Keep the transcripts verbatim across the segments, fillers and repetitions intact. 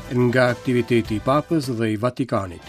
Nga aktiviteti i Papës dhe i Vatikanit.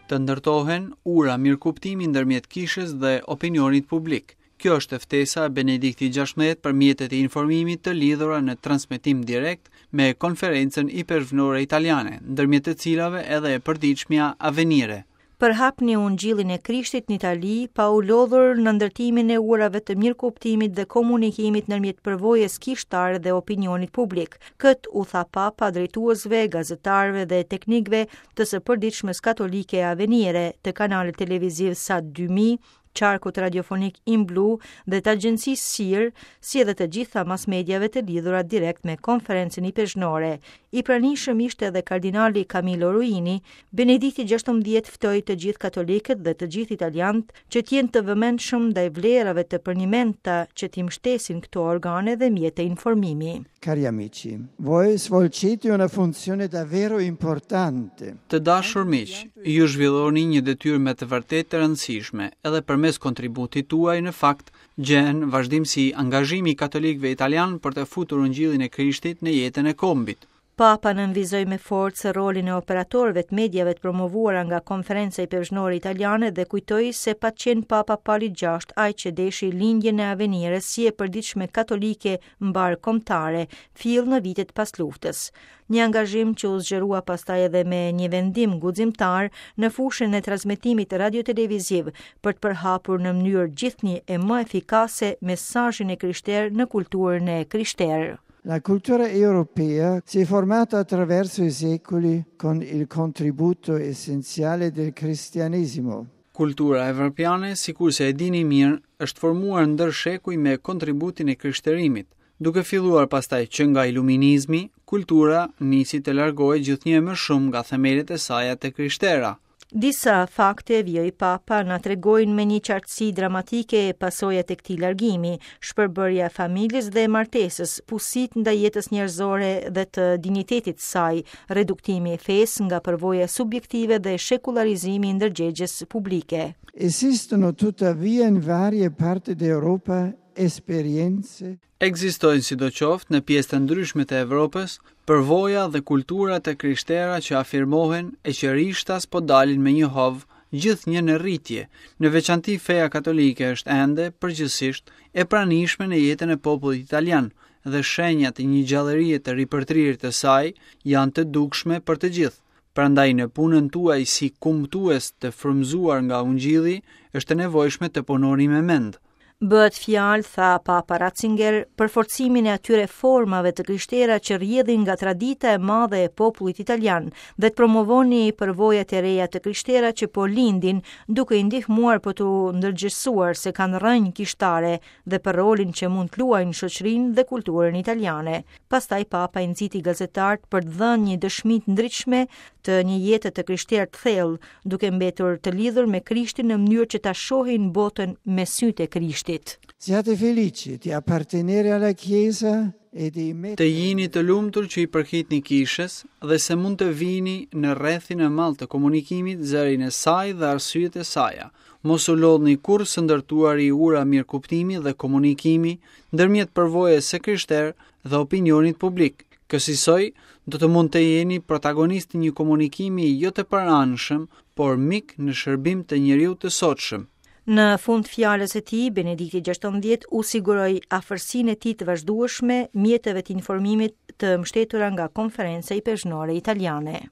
Të ndërtohen ura mirëkuptimi ndërmjet kishës dhe opinionit publik. Kjo është ftesa e Benediktit gjashtëmbëdhjetë për mjetet e informimit të lidhura në transmetim direkt me konferencën ipeshkvnore italiane, ndërmjet të cilave edhe e përditshmja Avvenire. Përhapni ungjillin e Krishtit në Itali pa u lodhur në ndërtimin e urave të mirëkuptimit dhe komunikimit ndërmjet përvojës kishtare dhe opinionit publik. Kët u tha Papa drejtuesve, gazetarëve dhe teknikëve të së përditshmes katolike Avvenire, të kanalit televiziv Sat dy mijë, qarkut radiofonik In Blu dhe të agjencisë S I R, si edhe të gjitha mas mediave të lidhura direkt me konferencën ipeshkvnore. I pranishëm ishte edhe kardinali Camillo Ruini. Benedikti gjashtëmbëdhjetë ftoi të gjithë katolikët dhe të gjithë italianët që të jenë të vëmendshëm ndaj vlerave të përnjimenta që t'i mbështesin këto organe dhe mjete informimi. Cari amici, voi svolgete una funzione davvero importante. Të dashur miq, ju zhvilloni një detyrë me të vërtetë të rëndësishme, edhe përmes kontributit tuaj në fakt gjen vazhdimsi angazhimi i katolikëve italian për të futur ungjillin e Krishtit në jetën e kombit. Papa nënvizoi me forcë rolin e operatorëve të mediave të promovuara nga Konferenca Ipeshkvnore Italiane dhe kujtoi se pa qenë Papa Pali gjashtë ai që deshi lindjen e Avvenires si e përditshme katolike mbarë kombëtare, fill në vitet pas luftës. Një angazhim që u zgjerua pastaj edhe me një vendim guximtar në fushën e transmetimit radioteleviziv për të përhapur në mënyrë gjithnjë e më efikase mesazhin e krishterë në kulturën e krishterë. La cultura europea si è formata attraverso i secoli con il contributo essenziale del cristianesimo. Kultura evropiane, sikurse e dini mirë, është formuar ndër shekuj me kontributin e krishterimit. Duke filluar pastaj që nga iluminizmi, kultura nisi të largohej gjithnjë më shumë nga themelet e saja të krishtera. Disa fakte, vijoi Papa, na tregojnë me një qartësi dramatike pasojat e këtij largimi, shpërbërja e familjes dhe martesës, pusit ndaj jetës njerëzore dhe të dinjitetit të saj, reduktimi i fesë nga përvoja subjektive dhe shekullarizimi i ndërgjegjes publike. Esistono tuttavia in varie parti d'Europa esperienze Ekzistojnë sidoqoftë në pjesë të ndryshme të Evropës përvoja dhe kultura të krishtera që afirmohen e që rishtas po dalin me një hov gjithnjë në rritje. Në veçanti feja katolike është ende përgjithsisht e pranishme në jetën e popullit italian dhe shenjat e një gjallërie të ripërtrirë të saj janë të dukshme për të gjithë. Prandaj në punën tuaj si kumtues të frymëzuar nga Ungjilli është e nevojshme të punoni me mend. Bëhet fjalë, tha Papa Ratzinger, për forcimin e atyre formave të krishtera që rrjedhin nga tradita e madhe e popullit italian dhe të promovoni përvojat e reja të krishtera që po lindin, duke i ndihmuar për t'u ndërgjegjësuar se kanë rrënjë kishtare dhe për rolin që mund të luajnë në shoqërinë dhe kulturën italiane. Pastaj Papa i nxiti gazetarët për të dhënë një dëshmi të ndritshme të një jete të krishterë të thellë, duke mbetur të lidhur me Krishtin në mënyrë që ta shohin botën me sytë e Krishtit. Siate felici di appartenere alla Chiesa e di Të jini të lumtur që i përkitni kishës dhe se mund të vini në rrethin e madh të komunikimit zërin e saj dhe arsyet e saja. Mos u lodhni kurrë së ndërtuari ura mirëkuptimi dhe komunikimi ndërmjet përvojës së krishterë dhe opinionit publik. Kësisoj, do të mund të jeni protagonist i një komunikimi jo të paranshëm, por mik në shërbim të njeriu të sotshëm. Në fund fjalës së tij, Benedikti gjashtëmbëdhjetë u siguroi afërsinë e tij të vazhdueshme mjeteve të informimit të mbështetura nga Konferenca Ipeshkvnore Italiane.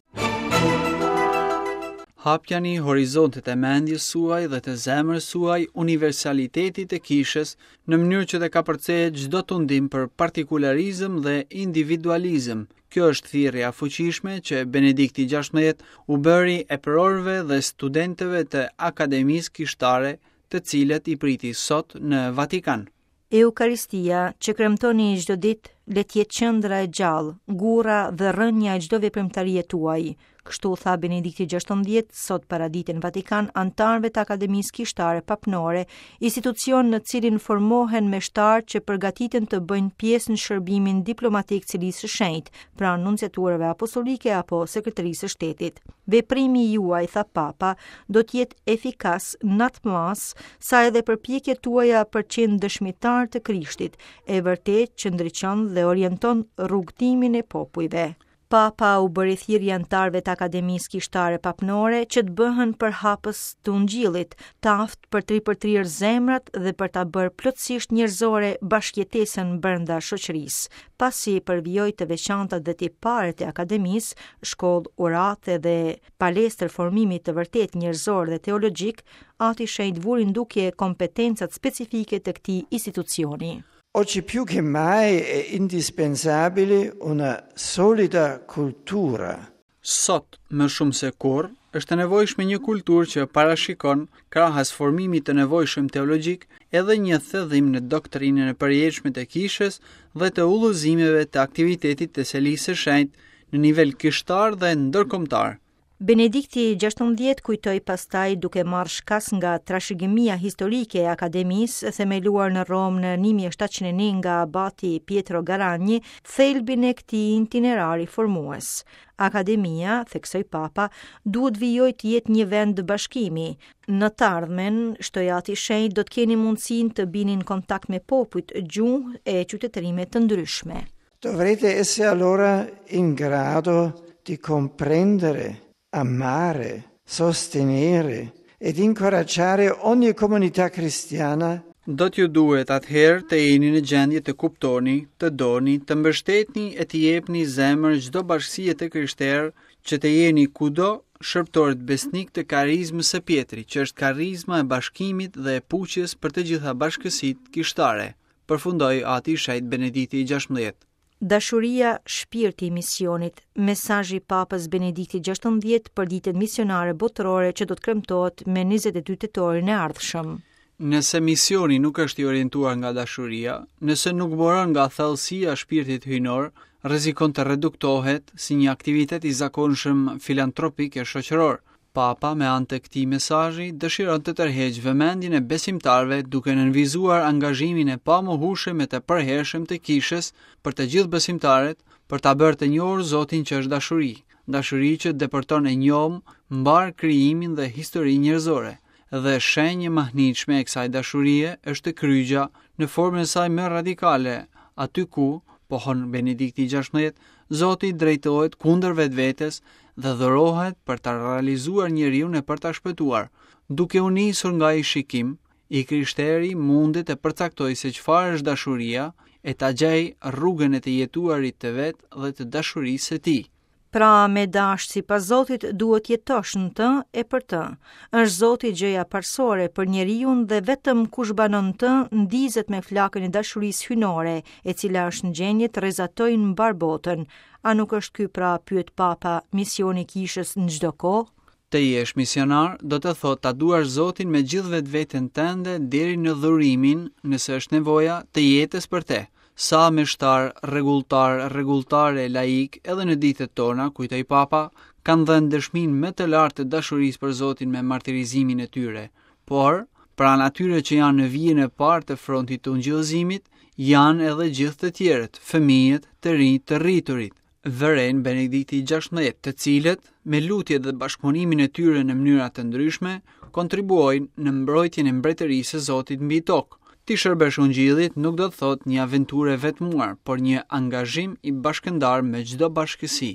Hapjani horizontet e mendjes suaj dhe të zemrës suaj universalitetit të kishës në mënyrë që të kapërcehet çdo tundim për partikularizëm dhe individualizëm. Kjo është thirrja e fuqishme që Benedikti gjashtëmbëdhjetë u bëri eprorëve dhe studentëve të Akademisë Kishtare, të cilët i priti sot në Vatikan. Eukaristia që kremtoni çdo ditë, le të jetë qendra e gjallë, gurra dhe rrënja e çdo veprimtarie tuaj. Kështu tha Benedikti gjashtëmbëdhjetë sot paradite në Vatikan anëtarëve të Akademisë Kishtare Papnore, institucion në cilin formohen meshtarë që përgatiten të bëjnë pjesë në shërbimin diplomatik Selisë së Shenjtë, pranë nunciaturave apostolike apo sekretarisë së shtetit. Veprimi juaj, tha Papa, do të jetë efikas në atë masë sa edhe përpjekjet tuaja për të qenë dëshmitar të Krishtit, e vërtet që ndriçon dhe orienton rrugëtimin e popujve. Papa u bëri thirrje anëtarëve të Akademisë Kishtare Papnore që të bëhen përhapës të Ungjillit, të aftë për të ripërtrirë zemrat dhe për ta bërë plotësisht njerëzore bashkëjetesën brenda shoqërisë. Pasi përvijoi të veçantat dhe tiparet e Akademisë, shkollë urate dhe palestër formimi të vërtet njerëzor dhe teologjik, Ati Shenjt vuri në dukje kompetencat specifike të këtij institucioni. Oggi più che mai è indispensabile una solida cultura. Sot, më shumë se kurrë, është e nevojshme një kulturë që parashikon, krahas formimit të nevojshëm teologjik, edhe një thellim në doktrinën e përjetshme të kishës dhe të udhëzimeve të aktivitetit të Selisë së Shenjtë në nivel kishtar dhe ndërkombëtar. Benedikti gjashtëmbëdhjetë kujtoi pastaj duke marrë shkas nga trashëgimia historike e Akademisë, themeluar në Romë në një mijë e shtatëqind e një nga abati Pietro Garagni, thelbin e këtij itinerari formues. Akademia, theksoi Papa, duhet vijojë të jetë një vend bashkimi. Në të ardhmen, shtoi Ati Shenjt, do të keni mundësinë të bini në kontakt me popujt, gjuhë e qytetërime të ndryshme. Dovrete essere allora in grado di comprendere, amare, sostenere ed incoraggiare ogni comunità cristiana. Do t'ju duhet atëherë të jeni në gjendje të kuptoni, të doni, të mbështetni e të jepni zemër çdo bashkësie të krishterë, që të jeni kudo shërbëtorët besnik të karizmës së Pjetrit, që është karizma e bashkimit dhe e puqjes për të gjitha bashkësitë kishtare, përfundoi Ati i Shenjtë Benedikti i gjashtëmbëdhjetë. Dashuria, shpirti i misionit, mesazhi i Papës Benedikti gjashtëmbëdhjetë për ditën misionare botërore që do të kremtohet me njëzet e dy tetorin e ardhshëm. Nëse misioni nuk është i orientuar nga dashuria, nëse nuk buron nga thellësia e shpirtit hyjnor, rrezikon të reduktohet si një aktivitet i zakonshëm filantropik e shoqëror. Papa, me anë të këtij mesazhi, dëshiron të tërheqë vëmendjen e besimtarëve duke nënvizuar angazhimin e pamohueshëm e të përhershëm të kishës për të gjithë besimtarët, për ta bërë të njohur Zotin që është dashuri, dashuri që depërton e njom mbar krijimin dhe historinë njerëzore. Dhe shenjë e mahnitshme e kësaj dashurie është kryqja në formën e saj më radikale, aty ku, pohon Benedikti i gjashtëmbëdhjetë, Zoti drejtohet kundër vetvetes dhe dhurohet për ta realizuar njeriun e për ta shpëtuar. Duke u nisur nga ai shikim, i krishteri mundet të përcaktojë se çfarë është dashuria e ta gjejë rrugën e të jetuarit të vet dhe të dashurisë së tij. Pra, me dashtë sipas Zotit duhet jetosh në të e për të. Është Zoti gjëja parësore për njeriun dhe vetëm kush banon të ndizet me flakën e dashurisë hyjnore, e cila është në gjendje të rrezatojë në mbar botën. A nuk është ky pra, pyet Papa, misioni i kishës në çdo kohë? Të jesh misionar do të thotë ta duash Zotin me gjithë vetveten tënde deri në dhurimin, nëse është nevoja, të jetës për te. Sa meshtar, rregulltar, rregulltare, laik, edhe në ditët tona, kujtoi Papa, kanë dhënë dëshminë më të lartë të dashurisë për Zotin me martirizimin e tyre. Por, pranë atyre që janë në vijën e parë të frontit të ungjillëzimit, janë edhe gjithë të tjerët, fëmijët, të rinjt, të rriturit. Vëren Benedikti i gjashtëmbëdhjetë, të cilët, me lutjet dhe bashkëpunimin e tyre në mënyra të ndryshme, kontribuojnë në mbrojtjen e mbretërisë së Zotit mbi tokë. Ti shërbesh ungjillit nuk do të thotë një aventurë e vetmuar, por një angazhim i bashkëndar me çdo bashkësi.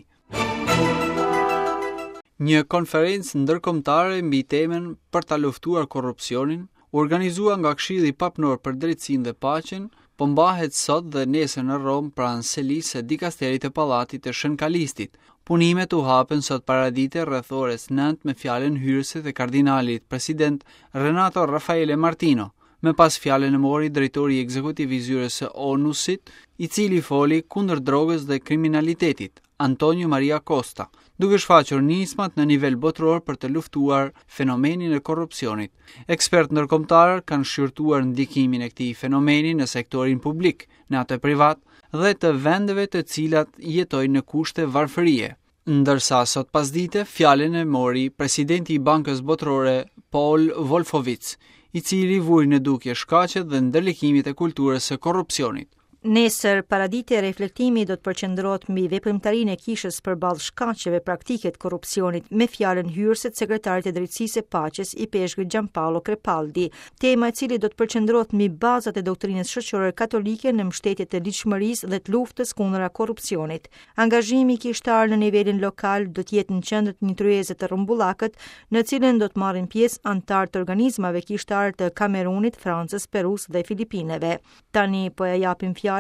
Një konferencë ndërkombëtare mbi temën për ta luftuar korrupsionin, u organizua nga Këshilli Papnor për Drejtësinë dhe Paqen, po mbahet sot dhe nesër në Romë pranë selisë së dikasterit të Pallatit të Shën Kalistit. Punimet u hapën sot paradite rreth orës nëntë me fjalën hyrëse të kardinalit president Renato Raffaele Martino. Më pas fjalën e mori drejtori ekzekutiv i zyrës së ONU-sit, i cili foli kundër drogës dhe kriminalitetit, Antonio Maria Costa, duke shfaqur nismat në nivel botëror për të luftuar fenomenin e korrupsionit. Ekspertë ndërkombëtarë kanë shqyrtuar ndikimin e këtij fenomeni në sektorin publik, në atë privat dhe të vendeve të cilat jetojnë në kushte varfërie. Ndërsa sot pasdite fjalën e mori presidenti i Bankës Botërore Paul Wolfowitz, i cili vuri në dukje shkaqet dhe ndërlikimet e kulturës së korrupsionit. Nesër paradite reflektimi do të përqendrohet mbi veprimtarinë e kishës përballë shkaqeve praktike të korrupsionit me fjalën hyrëse të sekretarit të Drejtësisë e Paqes ipeshkvit Gianpaolo Crepaldi, tema e cili do të përqendrohet mbi bazat e doktrinës shoqërore katolike në mbështetje të ligjshmërisë dhe të luftës kundër korrupsionit. Angazhimi kishtar në nivelin lokal do të jetë në qendër të një tryeze të rrumbullakët, në cilën do të marrin pjesë anëtarë të organizmave kishtarë të Kamerunit, Francës, Perus dhe Filipineve. Tani po e japim fjalën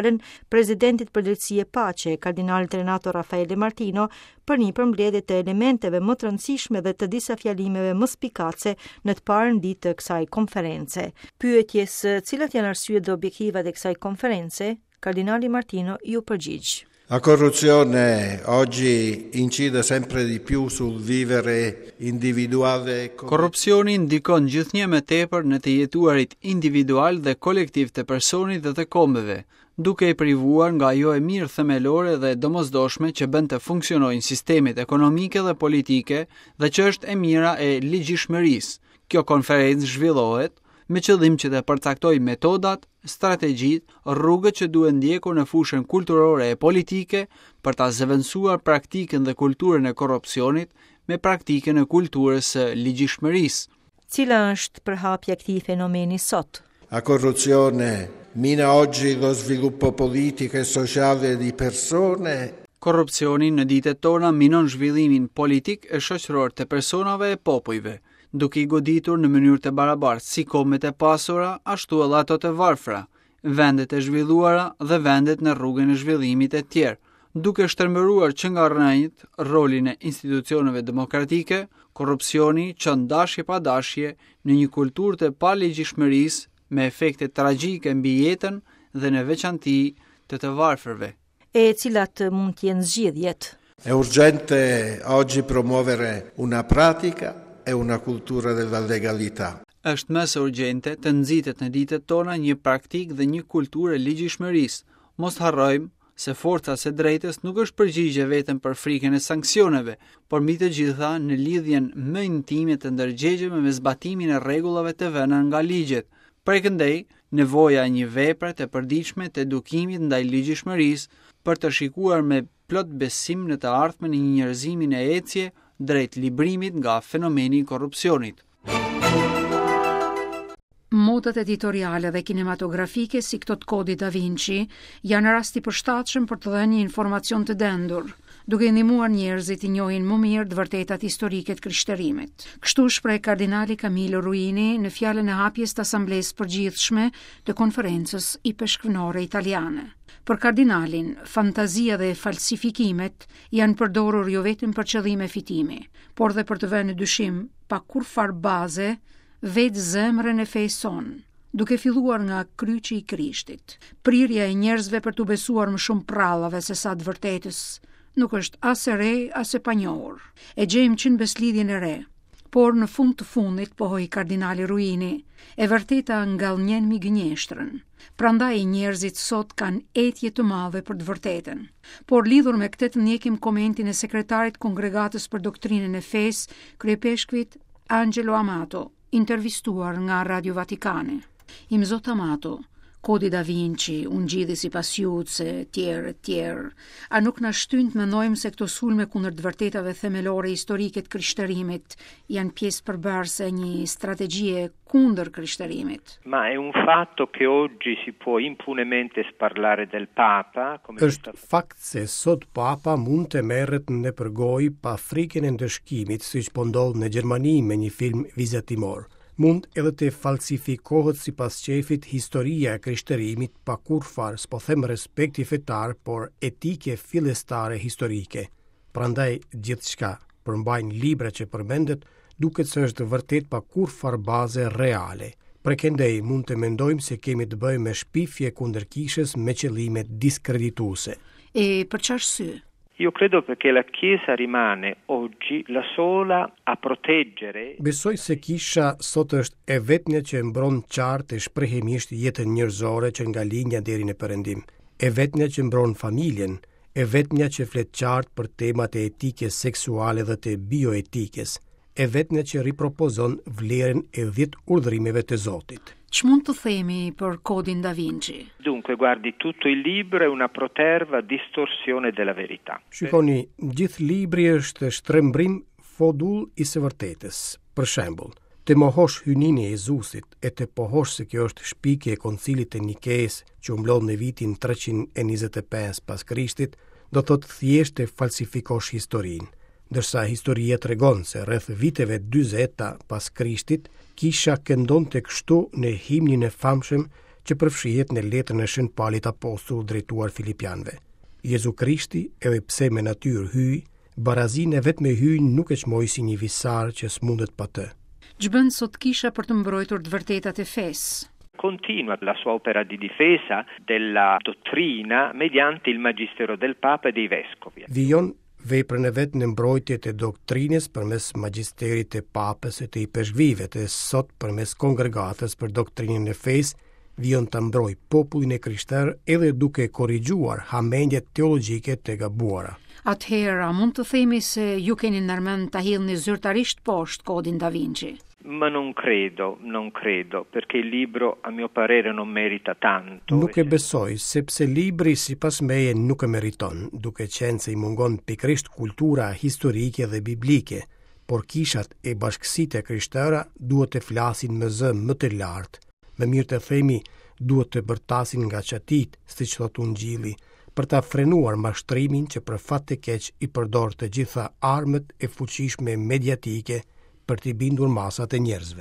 presidentit për drejtësi e paqe, kardinalit Renato Raffaele Martino, për një përmbledhje të elementeve më të rëndësishme dhe të disa fjalimeve më spikace në të parën ditë të kësaj konference. Pyetjes cilat janë arsyet dhe objektivat e kësaj konference, kardinali Martino iu përgjigj. La corruzione oggi incide sempre di più sul vivere individuale. Korrupsioni ndikon gjithnjë më tepër në të jetuarit individual dhe kolektiv të personit dhe të kombeve, duke i privuar nga ajo e mirë themelore dhe e domosdoshme që bën të funksionojnë sistemet ekonomike dhe politike dhe që është e mira e ligjshmërisë. Kjo konferencë zhvillohet me qëllim që të përcaktojë metodat, strategjitë, rrugët që duhen ndjekur në fushën kulturore e politike për ta zëvendësuar praktikën dhe kulturën e korrupsionit me praktikën e kulturës së ligjshmërisë. Cila është përhapja e këtij fenomeni sot? La corruzione mina oggi lo sviluppo politico e sociale di persone. Korrupsioni në ditët tona minon zhvillimin politik e shoqëror të personave e popujve, duke i goditur në mënyrë të barabartë si kombet e pasura, ashtu edhe ato të varfra, vendet e zhvilluara dhe vendet në rrugën e zhvillimit e tjerë, duke shtrembëruar që nga rrënjët rolin e institucioneve demokratike, korrupsioni çon dashje pa dashje në një kulturë të paligjshmërisë me efekte tragjike mbi jetën dhe në veçanti të të varfërve. E cilat mund të jenë zgjidhjet? È urgente oggi promuovere una pratica e una cultura della legalità. Është më se urgjente të nxitet në ditët tona një praktikë dhe një kulturë e ligjshmërisë. Mos harrojmë se forca e së drejtës nuk është përgjigje vetëm për frikën e sanksioneve, por mbi të gjitha në lidhjen më intime të ndërgjegjshme me zbatimin e rregullave të vëna nga ligjet. Prej këndej, nevoja e një vepre të përditshme të edukimit ndaj ligjshmërisë për të shikuar me plot besim në të ardhmen e një njerëzimi në ecje drejt librimit nga fenomeni i korrupsionit. Modat editoriale dhe kinematografike si këto të kodit Da Vinci janë rast i përshtatshëm për të dhënë një informacion të dendur, duke ndihmuar njerëzit të njohin më mirë të vërtetat historike të krishterimit. Kështu shpreh kardinali Camillo Ruini në fjalën e hapjes të Asamblesë Përgjithshme të Konferencës Ipeshkvnore Italiane. Për kardinalin, fantazia dhe falsifikimet janë përdorur jo vetëm për qëllime fitimi, por dhe për të vënë në dyshim pa kurrfar baze vetë zemrën e fesë sonë, duke filluar nga kryqi i Krishtit. Prirja e njerëzve për t'u besuar më shumë prallave se sa të vërtetës, nuk është as e re, as e panjohur. E gjejmë që në beslidhjen e re, por në fund të fundit, pohoi kardinali Ruini, e vërteta ngallnjen mbi gënjeshtrën. Prandaj njerëzit sot kanë etje të madhe për të vërtetën. Por lidhur me këtë të ndjekim komentin e sekretarit Kongregatës për Doktrinën e Fesë, kryepeshkvit Angelo Amato, intervistuar nga Radio Vatikani. Imzot Amato, Kodi Da Vinci, Ungjilli sipas Judës, e tjerë, e tjerë, a nuk na shtyn të mendojmë se këto sulme kundër të vërtetave themelore historike të krishterimit janë pjesë përbërëse e një strategjie kundër krishterimit? Ma è un fatto che oggi si può impunemente sparlare del Papa, come Është fakt se sot Papa mund të merret në përgojë pa frikën e ndëshkimit, siç po ndodh në Gjermani me një film vizatimor. Mund edhe të falsifikohet sipas qefit historia e krishterimit pa kurrfar, s'po them respekti fetar, por etike fillestare historike. Prandaj gjithçka përmbajnë libra që përmendet duket se është vërtet pa kurrfar baze reale. Prekendej mund të mendojmë se kemi të bëjmë me shpifje kundër kishës me qëllime diskredituese. E për çfarë arsye? Io credo perché la Chiesa rimane oggi la sola a proteggere. Besoj se kisha sot është e vetmja që mbron qartë e shprehimisht jetën njerëzore që nga lindja deri në perëndim. E vetmja që mbron familjen, E vetmja që flet qartë për temat e etikës seksuale dhe të bioetikës, e vetmja që ripropozon vlerën e dhjetë urdhërimeve të Zotit. Ç'mund të themi për Kodin Da Vinci? Dunque, guardi, tutto il libro è una proterva distorsione della verità. Shikoni, gjithë libri është shtrembrim fodull i së vërtetës. Për shembull, të mohosh hyjninë e Jezusit e të pohosh se kjo është shpikje e koncilit të Nikes që u mblodh në vitin treqind e njëzet e pesë pas Krishtit, do thotë thjesht të falsifikosh historinë. Ndërsa historia tregon se rreth viteve dyzeta pas Krishtit, kisha këndonte kështu në himnin e famshëm që përfshihet në letrën e Shën Palit Apostull drejtuar Filipianëve. Jezu Krishti, edhe pse me natyrë hyj, barazinë e vet me hyjin nuk e çmoi si një visar që s'mundet pa të. Ç'bën sot kisha për të mbrojtur të vërtetat e fesë? Continua la sua opera di difesa della dottrina mediante il magistero del Papa e dei vescovi. Vijon veprën e vet në mbrojtje të doktrinës përmes magjisterit të Papës e të ipeshkvijve, të sot përmes kongregatës për doktrinën e fesë, vijon të mbrojë popullin e krishterë edhe duke korrigjuar hamendjet teologjike të gabuara. Atëherë, a mund të themi se ju keni ndërmend ta hidhni zyrtarisht poshtë Kodin Da Vinci? Ma non credo, non credo, perché il libro a mio parere non merita tanto. Nuk e besoj, sepse libri sipas meje nuk e meriton, duke qenë se i mungon pikërisht kultura historike dhe biblike, por kishat e bashkësitë e krishtera duhet të flasin me zë më të lartë. Më mirë të themi, duhet të bërtasin nga çatit, siç thot Ungjilli, për ta frenuar mashtrimin që për fat të keq i përdor të gjitha armët e fuqishme mediatike për t'i bindur masat e njerëzve.